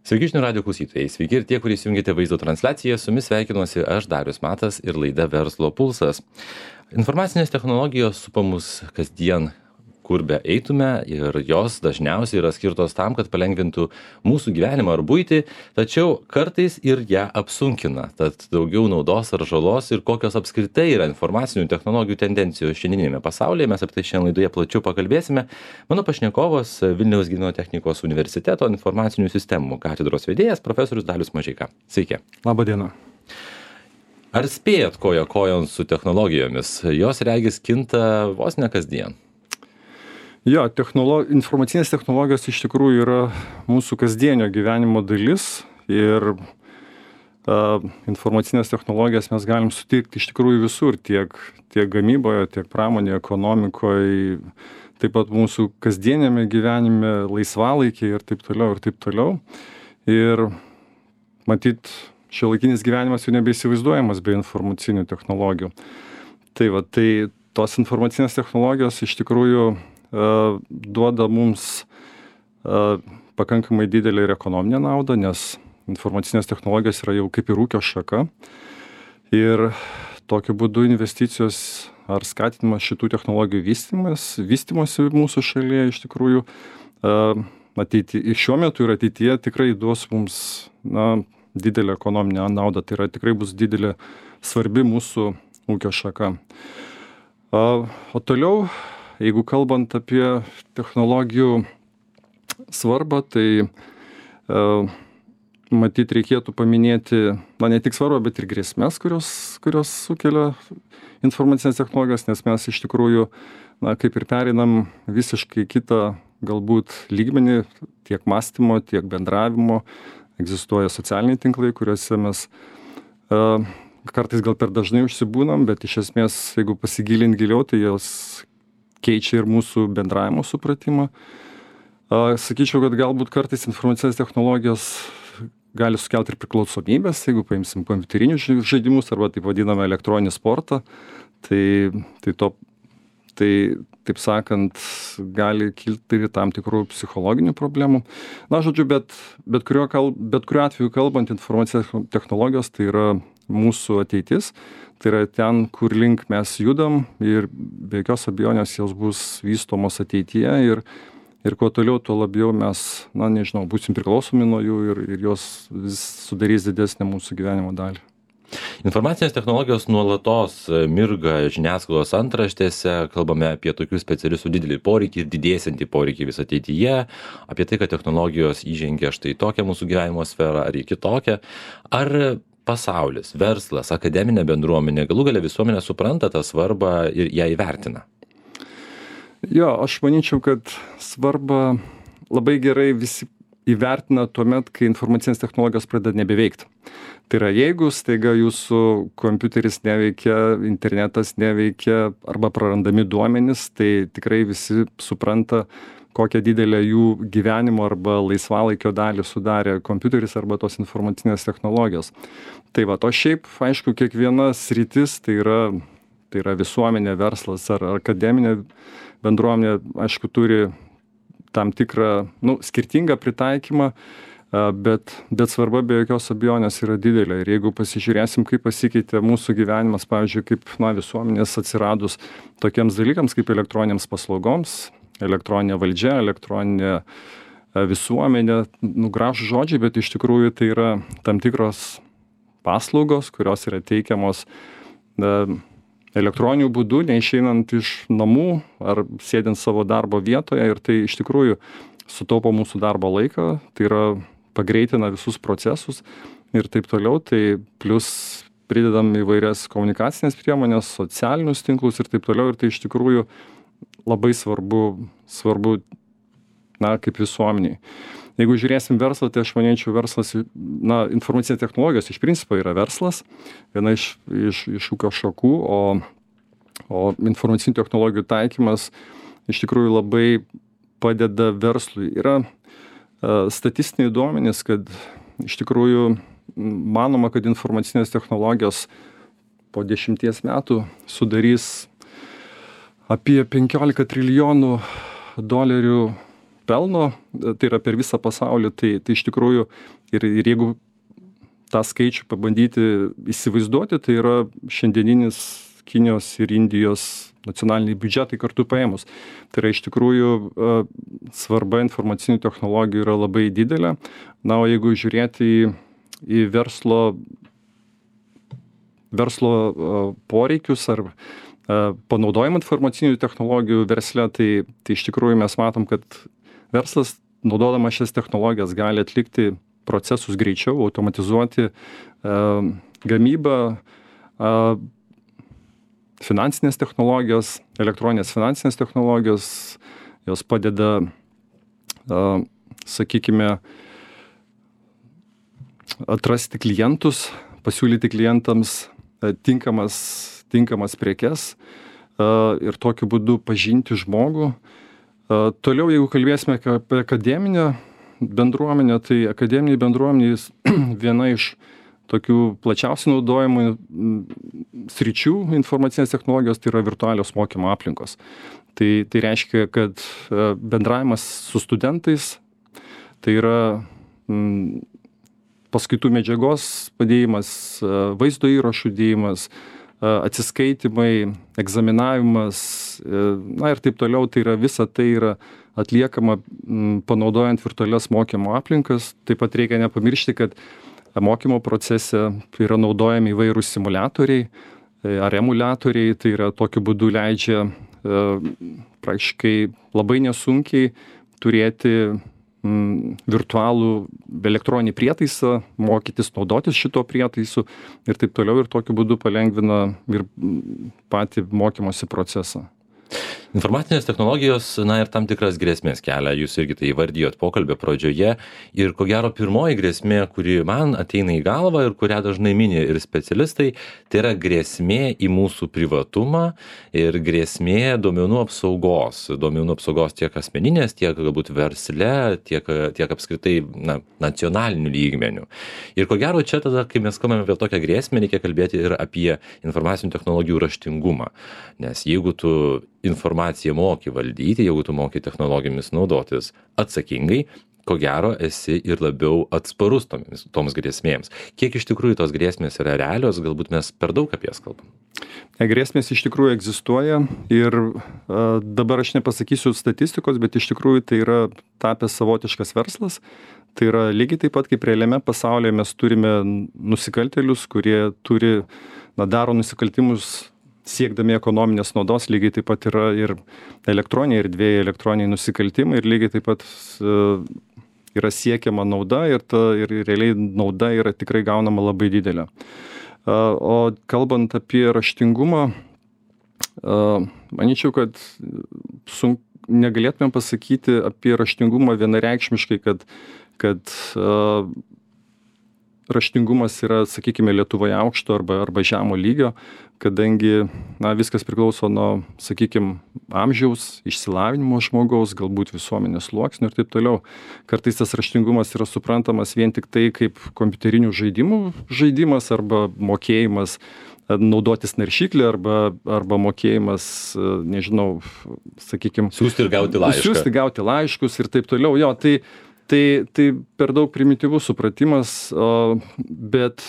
Sveiki žinių radijo klausytojai, sveiki ir tie, kurie įsijungėte vaizdo transliaciją, su jumis sveikinuosi aš Darius Matas ir laida Verslo pulsas. Informacinės technologijos supa mus kasdien, kur be eitume, ir jos dažniausiai yra skirtos tam, kad palengvintų mūsų gyvenimą ar buitį, tačiau kartais ir ją apsunkina. Tad daugiau naudos ar žalos ir kokios apskritai yra informacinių technologijų tendencijos šiandieninėme pasaulyje, mes apie tai šiandien laidoje plačiau pakalbėsime. Mano pašnekovas Vilniaus Gedimino technikos universiteto informacinių sistemų katedros vedėjas profesorius Dalius Mažeika. Sveiki. Labą dieną. Ar spėjat koja kojon su technologijomis? Jos regis kinta vos ne kasdien. Jo, informacinės technologijos iš tikrųjų yra mūsų kasdienio gyvenimo dalis ir informacinės technologijas mes galim sutikti iš tikrųjų visur, tiek gamyboje, tiek pramonėje, ekonomikoje, taip pat mūsų kasdienėme gyvenime, laisvalaikiai ir taip toliau, ir taip toliau. Ir matyt, šiuolaikinis gyvenimas jau nebeįsivaizduojamas be informacinių technologijų. Tai tos informacinės technologijos iš tikrųjų duoda mums pakankamai didelę ir ekonominę naudą, nes informacinės technologijos yra jau kaip ir ūkio šaka. Ir tokiu būdu investicijos ar skatinimas šitų technologijų vystymosi mūsų šalyje iš tikrųjų šiuo metu ir ateityje tikrai duos mums didelę ekonominę naudą. Tai yra tikrai bus didelė svarbi mūsų ūkio šaka. O toliau, jeigu kalbant apie technologijų svarbą, tai matyt reikėtų paminėti, ne tik svarbą, bet ir grėsmes, kurios sukelia informacinės technologijos, nes mes iš tikrųjų, kaip ir pereinam visiškai kitą galbūt lygmenį tiek mąstymo, tiek bendravimo. Egzistuoja socialiniai tinklai, kuriuose mes kartais gal per dažnai užsibūnam, bet iš esmės, jeigu pasigilint giliau, tai jos keičia ir mūsų bendravimo supratimą. Sakyčiau, kad galbūt kartais informacinės technologijos gali sukelti ir priklausomybės, jeigu paimsim kompiuterinius žaidimus arba taip vadinamą elektroninį sportą, tai taip sakant, gali kilti ir tam tikrų psichologinių problemų. Bet kuriuo atveju kalbant, informacinės technologijos tai yra mūsų ateitis. Tai yra ten, kur link mes judam ir be jokios abejonės jos bus vystomos ateityje ir kuo toliau, tuo labiau mes, būsim priklausomi nuo jų ir jos vis sudarys didesnę mūsų gyvenimo dalį. Informacinės technologijos nuolatos mirga žiniasklaidos antraštėse, kalbame apie tokių specialistų didelį poreikį ir didėsiantį poreikį vis ateityje, apie tai, kad technologijos įžengia štai tokią mūsų gyvenimo sferą ar į kitokią. Ar pasaulis, verslas, akademinė bendruomenė, galų gale visuomenė supranta tą svarbą ir ją įvertina? Jo, aš manyčiau, kad svarbą labai gerai visi įvertina tuomet, kai informacinės technologijos pradeda nebeveikti. Tai yra, jeigu staiga jūsų kompiuteris neveikia, internetas neveikia arba prarandami duomenys, tai tikrai visi supranta, kokią didelę jų gyvenimo arba laisvalaikio dalį sudarė kompiuteris arba tos informacinės technologijos. Tai o šiaip, aišku, kiekviena sritis, tai yra visuomenė, verslas ar akademinė bendruomenė, aišku, turi tam tikrą, skirtingą pritaikymą, bet svarba be jokios abejonės yra didelė. Ir jeigu pasižiūrėsim, kaip pasikeitė mūsų gyvenimas, pavyzdžiui, kaip visuomenės atsiradus tokiems dalykams kaip elektroninėms paslaugoms, elektroninė valdžia, elektroninė visuomenė, gražūs žodžiai, bet iš tikrųjų tai yra tam tikros paslaugos, kurios yra teikiamos elektroniniu būdu, neišeinant iš namų ar sėdint savo darbo vietoje, ir tai iš tikrųjų sutaupo mūsų darbo laiką, tai yra pagreitina visus procesus ir taip toliau, tai plus pridedam įvairias komunikacinės priemonės, socialinius tinklus ir taip toliau, ir tai iš tikrųjų labai svarbu, kaip visuomeniai. Jeigu žiūrėsim verslą, tai aš manyčiau, verslas, informacinės technologijos iš principo yra verslas, viena iš ūkio šakų, o informacinių technologijų taikymas iš tikrųjų labai padeda verslui. Yra statistiniai duomenys, kad iš tikrųjų manoma, kad informacinės technologijos po 10 metų sudarys apie 15 trilijonų dolerių pelno, tai yra per visą pasaulį, tai iš tikrųjų ir jeigu tą skaičių pabandyti įsivaizduoti, tai yra šiandieninis Kinijos ir Indijos nacionaliniai biudžetai kartu paėmus. Tai yra iš tikrųjų svarba informacinių technologijų yra labai didelė. Na, o jeigu žiūrėti į verslo poreikius ar panaudojimą informacinių technologijų versle, tai iš tikrųjų mes matom, kad verslas, naudodamas šias technologijas, gali atlikti procesus greičiau, automatizuoti gamybą, finansinės technologijos, elektroninės finansinės technologijos, jos padeda, sakykime, atrasti klientus, pasiūlyti klientams tinkamas prekes ir tokiu būdu pažinti žmogų. Toliau, jeigu kalbėsime apie akademinę bendruomenę, tai akademiniai bendruomenės viena iš tokių plačiausiai naudojamų sričių informacinės technologijos tai yra virtualios mokymo aplinkos. Tai reiškia, kad bendravimas su studentais, tai yra paskaitų medžiagos padėjimas, vaizdo įrašų dėjimas, atsiskaitimai, egzaminavimas, na ir taip toliau, tai yra visa tai yra atliekama panaudojant virtualias mokymo aplinkas. Taip pat reikia nepamiršti, kad mokymo procese yra naudojami įvairūs simuliatoriai ar emuliatoriai, tai yra tokiu būdu leidžia praktiškai labai nesunkiai turėti virtualų elektroninį prietaisą, mokytis naudotis šito prietaisu ir taip toliau, ir tokiu būdu palengvina ir patį mokymosi procesą. Informacinės technologijos, na ir tam tikras grėsmės kelia, jūs irgi tai įvardijot pokalbio pradžioje, ir ko gero pirmoji grėsmė, kuri man ateina į galvą ir kurią dažnai mini ir specialistai, tai yra grėsmė į mūsų privatumą ir grėsmė duomenų apsaugos tiek asmeninės, tiek galbūt versle, tiek apskritai nacionaliniu lygmeniu. Ir ko gero čia tada, kai mes kalbame apie tokią grėsmę, reikia kalbėti ir apie informacinių technologijų raštingumą, nes jeigu tu informaciją moki valdyti, jeigu tu moki technologijomis naudotis atsakingai, ko gero esi ir labiau atsparus toms grėsmėms. Kiek iš tikrųjų tos grėsmės yra realios, galbūt mes per daug apie jas kalbam? Grėsmės iš tikrųjų egzistuoja ir dabar aš nepasakysiu statistikos, bet iš tikrųjų tai yra tapęs savotiškas verslas. Tai yra lygiai taip pat, kaip realiame pasaulyje mes turime nusikaltėlius, kurie daro nusikaltimus siekdami ekonominės naudos, lygiai taip pat yra ir elektroniniai erdvėje elektroniniai nusikaltimai ir lygiai taip pat yra siekiama nauda ir realiai nauda yra tikrai gaunama labai didelė. O kalbant apie raštingumą, manyčiau, kad negalėtume pasakyti apie raštingumą vienareikšmiškai, kad raštingumas yra, sakykime, Lietuvoje aukšto arba žemo lygio, kadangi viskas priklauso nuo, sakykime, amžiaus, išsilavinimo žmogaus, galbūt visuomenės sluoksnių ir taip toliau. Kartais tas raštingumas yra suprantamas vien tik tai kaip kompiuterinių žaidimų žaidimas arba mokėjimas naudotis naršyklę arba mokėjimas, nežinau, sakykime, siųsti ir gauti laiškus ir taip toliau. Jo, tai per daug primityvus supratimas, bet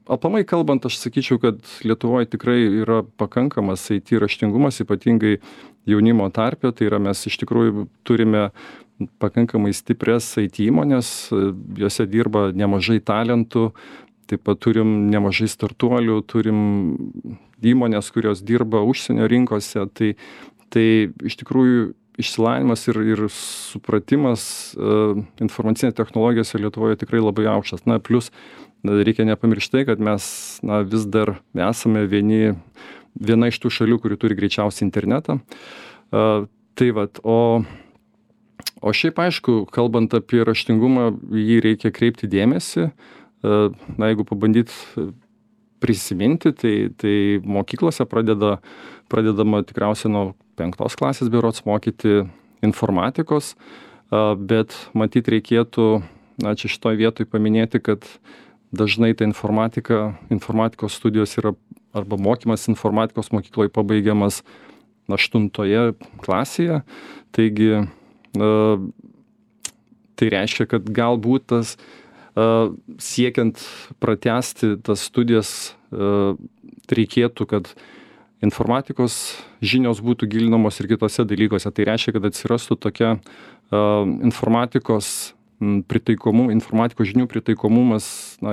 aplamai kalbant, aš sakyčiau, kad Lietuvoje tikrai yra pakankamas IT raštingumas, ypatingai jaunimo tarpe, tai yra mes iš tikrųjų turime pakankamai stiprias IT įmonės, juose dirba nemažai talentų, taip pat turim nemažai startuolių, turim įmonės, kurios dirba užsienio rinkose, tai iš tikrųjų išsilavinimas ir supratimas informacinės technologijose Lietuvoje tikrai labai aukštas. Plus reikia nepamiršti, kad mes vis dar esame viena iš tų šalių, kuri turi greičiausią internetą. Tai vat, o šiaip aišku, kalbant apie raštingumą, jį reikia kreipti dėmesį. Jeigu pabandyt prisiminti, tai mokyklose pradedama tikriausiai nuo 5 klasės berods mokyti informatikos, bet matyt reikėtų, čia šitoj vietoj paminėti, kad dažnai ta informatikos studijos yra arba mokymas informatikos mokykloje pabaigiamas 8 klasėje, taigi tai reiškia, kad galbūt tas siekiant pratęsti tas studijas reikėtų, kad informatikos žinios būtų gilinamos ir kitose dalykuose. Tai reiškia, kad atsirastų tokia informatikos žinių pritaikomumas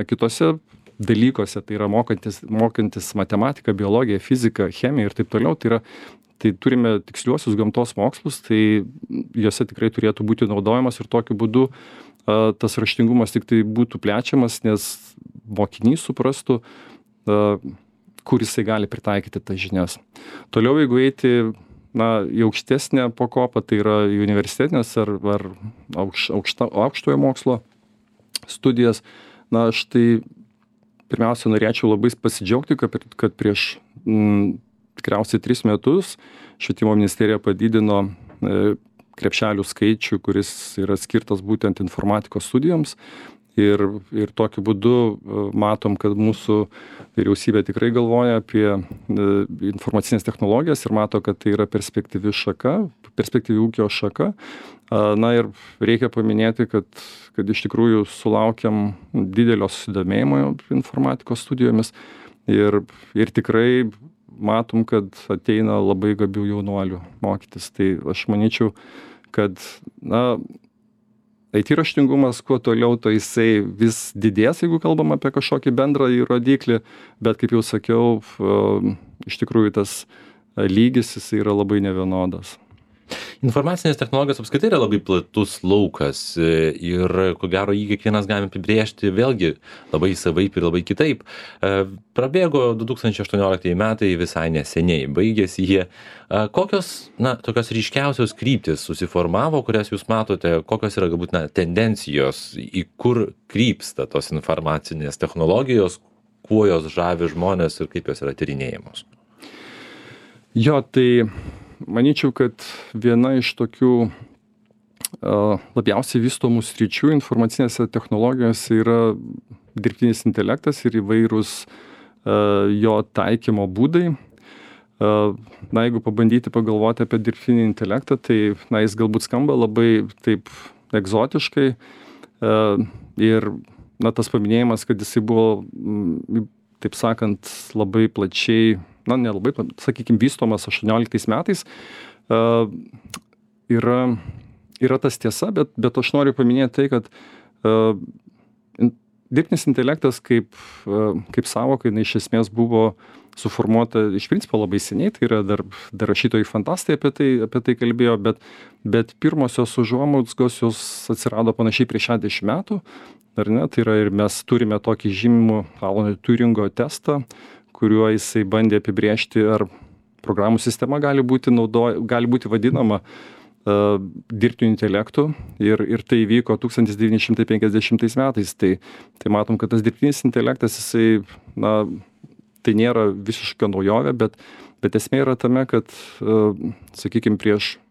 kitose dalykuose, tai yra mokantis matematiką, biologiją, fiziką, chemiją ir taip toliau. Tai turime tiksliuosius gamtos mokslus, tai juose tikrai turėtų būti naudojamas ir tokiu būdu tas raštingumas tik tai būtų plečiamas, nes mokinys suprastų, kur jisai gali pritaikyti tas žinias. Toliau, jeigu eiti į aukštesnę pakopą, tai yra universitetinės ar aukštojo mokslo studijas, aš tai pirmiausia norėčiau labai pasidžiaugti, kad prieš tikriausiai 3 metus Švietimo ministerija padidino krepšelių skaičių, kuris yra skirtas būtent informatikos studijoms. Ir tokiu būdu matom, kad mūsų vyriausybė tikrai galvoja apie informacinės technologijas ir mato, kad tai yra perspektyvi ūkio šaka. Ir reikia paminėti, kad iš tikrųjų sulaukiam didelio susidomėjimo informatikos studijomis ir tikrai matom, kad ateina labai gabių jaunuolių mokytis. Tai aš manyčiau, kad IT raštingumas kuo toliau, to jisai vis didės, jeigu kalbam apie kažkokį bendrą rodiklį, bet kaip jau sakiau, iš tikrųjų tas lygis jisai yra labai nevienodas. Informacinės technologijos apskritai yra labai platus laukas ir ko gero jį kiekvienas galime apibrėžti vėlgi labai savaip ir labai kitaip. Prabėgo 2018 metai visai neseniai, baigėsi jie. Kokios tokios ryškiausios kryptis susiformavo, kurias jūs matote, kokios yra galbūt tendencijos, į kur krypsta tos informacinės technologijos, kuo jos žavi žmonės ir kaip jos yra tyrinėjamos? Tai manyčiau, kad viena iš tokių labiausiai vystomų sričių informacinėse technologijose yra dirbtinis intelektas ir įvairūs jo taikymo būdai. Jeigu pabandyti pagalvoti apie dirbtinį intelektą, tai jis galbūt skamba labai taip egzotiškai ir tas paminėjimas, kad jisai buvo, taip sakant, labai plačiai nelabai, sakykime, vystomas 18 metais, yra tas tiesa, bet aš noriu paminėti tai, kad dirbtinis intelektas kaip sąvoka, jinai iš esmės buvo suformuota iš principo labai seniai, tai yra dar rašytojai fantastai apie tai kalbėjo, bet pirmosios užuomazgos jos atsirado panašiai prieš 60 metų, ar ne? Tai yra ir mes turime tokį žymų Alano Turingo testą, kuriuo jisai bandė apibrėžti, ar programų sistema gali būti vadinama dirbtiniu intelektu ir tai vyko 1950 metais. Tai matom, kad tas dirbtinis intelektas, jisai, tai nėra visiška naujovė, bet esmė yra tame, kad, sakykime, prieš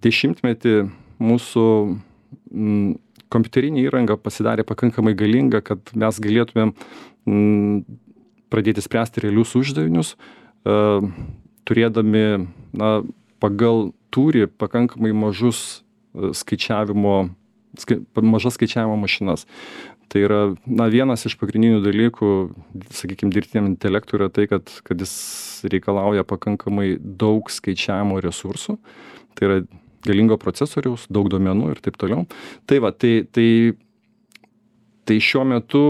10 metį mūsų kompiuterinė įranga pasidarė pakankamai galinga, kad mes galėtumėm pradėti spręsti realius uždavinius, turėdami pagal tūrį pakankamai mažas skaičiavimo mašinas. Tai yra vienas iš pagrindinių dalykų, sakykime, dirbtiniam intelektui yra tai, kad jis reikalauja pakankamai daug skaičiavimo resursų. Tai yra galingo procesoriaus, daug duomenų ir taip toliau. Tai šiuo metu,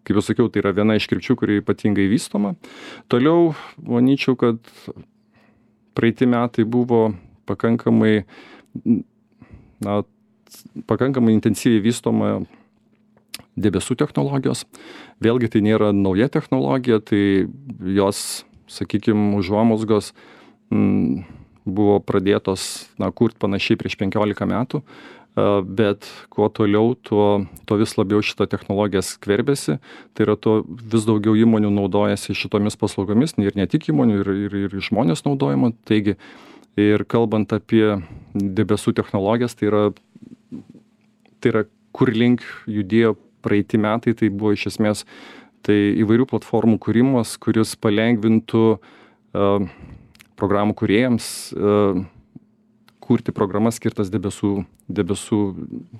kaip jau sakiau, tai yra viena iš krypčių, kuri ypatingai vystoma. Toliau, manyčiau, kad praeiti metai buvo pakankamai intensyviai vystoma debesų technologijos. Vėlgi tai nėra nauja technologija, tai jos, sakykime, užuomazgos buvo pradėtos kurt panašiai prieš 15 metų. Bet kuo toliau, tuo vis labiau šita technologija skverbėsi, tai yra to vis daugiau įmonių naudojasi šitomis paslaugomis, ir ne tik įmonių, ir žmonės naudojama. Taigi, ir kalbant apie debesų technologijas, tai yra kur link judėjo praeiti metai, tai buvo iš esmės įvairių platformų kūrimas, kuris palengvintų programų kūrėjams kurti programas skirtas debesų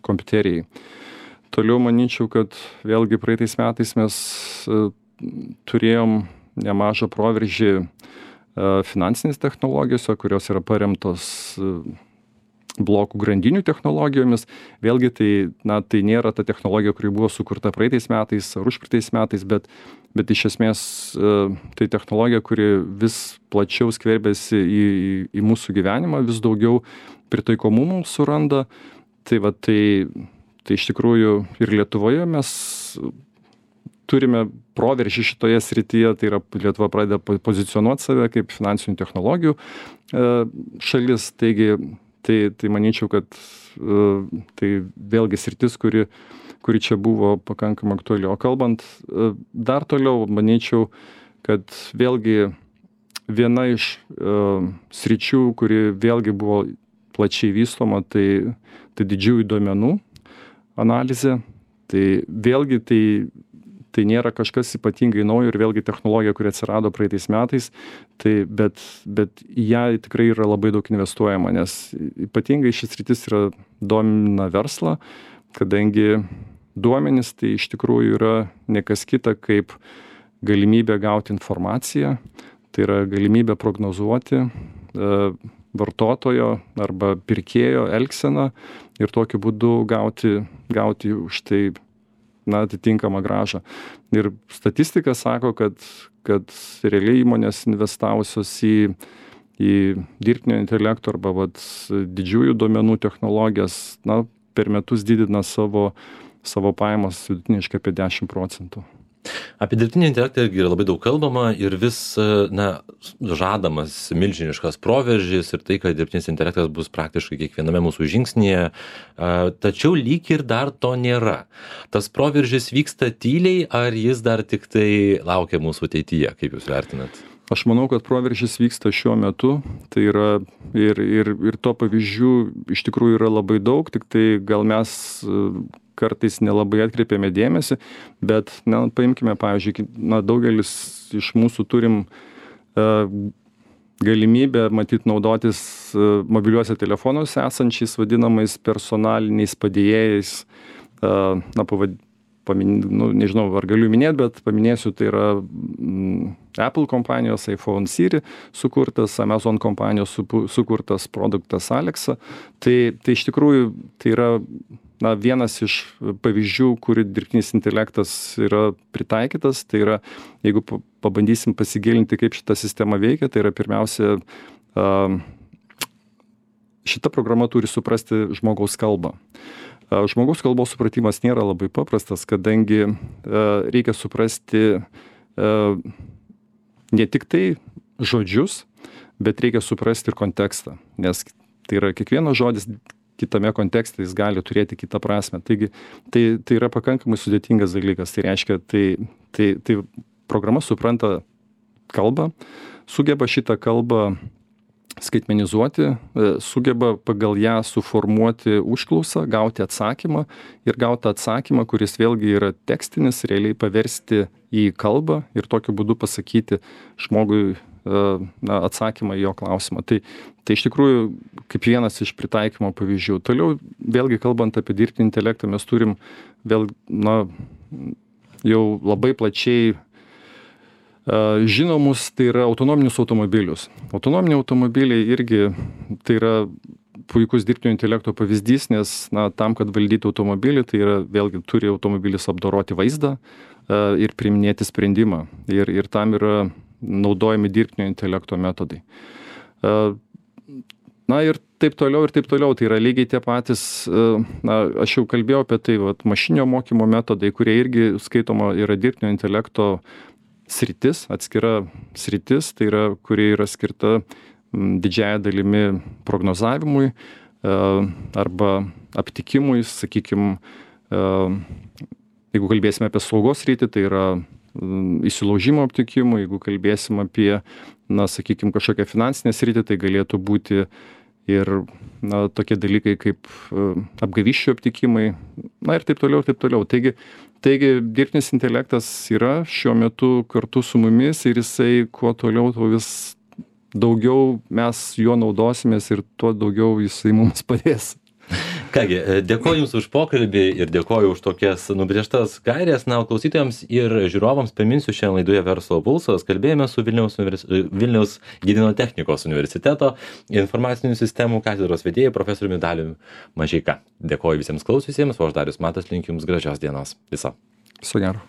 kompiuterijai. Toliau manyčiau, kad vėlgi praeitais metais mes turėjom nemažą proveržį finansinės technologijose, kurios yra paremtos blokų grandinių technologijomis. Vėlgi tai nėra ta technologija, kuri buvo sukurta praeitais metais ar užpraeitais metais, bet iš esmės tai technologija, kuri vis plačiau skverbiasi į mūsų gyvenimą, vis daugiau pritaikomumų suranda. Tai iš tikrųjų ir Lietuvoje mes turime proveržį šitoje srityje, tai yra Lietuva pradeda pozicionuoti save kaip finansinių technologijų šalis, tai manyčiau, kad tai vėlgi sritis, kuri čia buvo pakankamai aktuali. O kalbant dar toliau, manyčiau, kad vėlgi viena iš sričių, kuri vėlgi buvo plačiai vystoma, tai didžiųjų duomenų analizė. Tai vėlgi tai nėra kažkas ypatingai naujo ir vėlgi technologija, kuri atsirado praeitais metais, bet į ją tikrai yra labai daug investuojama, nes ypatingai šis sritis domina verslą, kadangi duomenys tai iš tikrųjų yra ne kas kita kaip galimybė gauti informaciją, tai yra galimybė prognozuoti vartotojo arba pirkėjo elgseną ir tokiu būdu gauti už tai atitinkamą grąžą. Ir statistika sako, kad realiai įmonės investavusios į dirbtinio intelekto arba didžiųjų duomenų technologijas, per metus didina savo pajamas vidutiniškai apie 10%. Apie dirbtinį intelektą irgi yra labai daug kalbama ir vis žadamas milžiniškas proveržis ir tai, kad dirbtinis intelektas bus praktiškai kiekviename mūsų žingsnyje, tačiau lyg ir dar to nėra. Tas proveržis vyksta tyliai, ar jis dar tik tai laukia mūsų ateityje, kaip jūs vertinat? Aš manau, kad proveržis vyksta šiuo metu, tai yra ir to pavyzdžių iš tikrųjų yra labai daug, tik tai gal mes kartais nelabai atkreipiame dėmesį, bet paimkime, pavyzdžiui, daugelis iš mūsų turim galimybę naudotis mobiliuose telefonuose esančiais vadinamais personaliniais padėjėjais, nežinau, ar galiu minėti, bet paminėsiu, tai yra Apple kompanijos iPhone Siri sukurtas, Amazon kompanijos sukurtas produktas Alexa. Tai iš tikrųjų tai yra vienas iš pavyzdžių, kur dirbtinis intelektas yra pritaikytas. Tai yra, jeigu pabandysim pasigilinti, kaip šita sistema veikia, tai yra pirmiausia, šita programa turi suprasti žmogaus kalbą. Žmogaus kalbos supratimas nėra labai paprastas, kadangi reikia suprasti ne tik tai žodžius, bet reikia suprasti ir kontekstą, nes tai yra kiekvienas žodis kitame kontekste, jis gali turėti kitą prasme. Taigi, tai yra pakankamai sudėtingas dalykas. Tai reiškia, tai programa supranta kalbą, sugeba šitą kalbą skaitmenizuoti, sugeba pagal ją suformuoti užklausą, gauti atsakymą ir gauti atsakymą, kuris vėlgi yra tekstinis, realiai paversti į kalbą ir tokiu būdu pasakyti žmogui atsakymą į jo klausimą. Tai iš tikrųjų kaip vienas iš pritaikymo pavyzdžių. Toliau, vėlgi kalbant apie dirbtinį intelektą, mes turim jau labai plačiai žinomus, tai yra autonominius automobilius. Autonominiai automobiliai irgi tai yra puikus dirbtinio intelekto pavyzdys, nes tam, kad valdyti automobilį, tai yra vėlgi turi automobilis apdoroti vaizdą ir priiminėti sprendimą. Ir tam yra naudojami dirbtinio intelekto metodai. Ir taip toliau. Tai yra lygiai tie patys, aš jau kalbėjau apie tai, mašininio mokymo metodai, kurie irgi skaitoma yra dirbtinio intelekto sritis, atskira sritis, tai yra, kurie yra skirta didžiąja dalimi prognozavimui arba aptikimui, sakykime, jeigu kalbėsime apie saugos sritį, tai yra įsilaužimo aptikimui, jeigu kalbėsim apie, sakykime, kažkokią finansinę sritį, tai galėtų būti ir tokie dalykai kaip apgavysčių aptikimai, ir taip toliau. Taigi dirbtinis intelektas yra šiuo metu kartu su mumis ir jisai kuo toliau, tuo vis daugiau mes juo naudosimės ir tuo daugiau jisai mums padės. Kągi, dėkoju Jums už pokalbį ir dėkoju už tokias nubrėžtas gairės. Na, o klausytojams ir žiūrovams priminsiu, šiandien laidoje Verslo pulsas kalbėjome su Vilniaus Gedimino technikos universiteto informacinių sistemų katedros vedėju profesoriumi Daliumi Mažeika. Dėkoju visiems klausiusiems, o aš Darius Matas linkiu Jums gražios dienos. Viso. Viso gero.